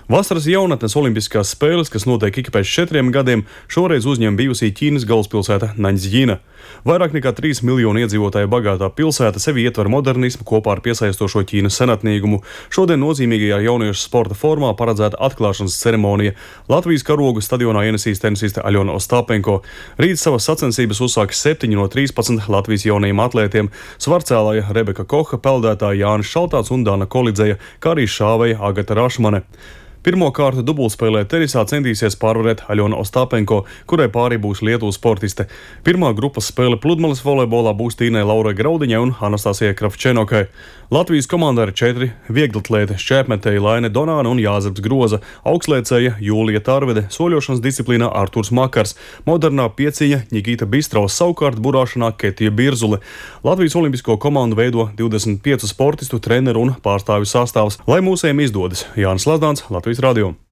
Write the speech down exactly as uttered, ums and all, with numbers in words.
Vasaras jaunatnes olimpiskās spēles, kas notiek ik pēc četriem gadiem, šoreiz uzņem bijusī Ķīnas galvaspilsēta Naņģīna. Vairāk nekā trīs miljonu iedzīvotāju bagātā pilsēta sevi ietver modernismu kopā ar piesaistošo Ķīnas senatnīgumu. Šodien nozīmīgajā jauniešu sporta formā paredzēta atklāšanas ceremonija. Latvijas karogu stadionā ienesīs tenisiste Aļona Ostāpenko. Rīt savas sacensības uzsāks septiņi no trīspadsmit Latvijas jaunajiem atlētiem - svarcēlāja Rebeka Koha, peldētāja Jānis Šaltāts un Dana Kolidzeja, kā arī šāveja Agata Rašmane. Pirmo kārtu dubultspēlē tenisā centīsies pārvarēt Aļona Ostāpenko, kurai pārī būs Lietuvas sportiste. Pirmā grupas spēle pludmales volejbolā būs Tīnai Laurai Graudiņai un Anastasijai Kravčenokai. Latvijas komandā ir četri vieglatlēti - šķēpmetēji Laine Donāna un Jāzeps Groza, augstliecēja Jūlija Tarvede, soļošanas disciplīnā Arturs Makars, modernā pieciņa Ņigita Bistraus, savukārt burāšanā Ketija Birzule. Latvijas olimpisko komandu veido divdesmit piecu sportistu, treneru un pārstāvju sastāvs. Lai mūsējiem izdodas, Jānis Lazdāns, Latvijas radio.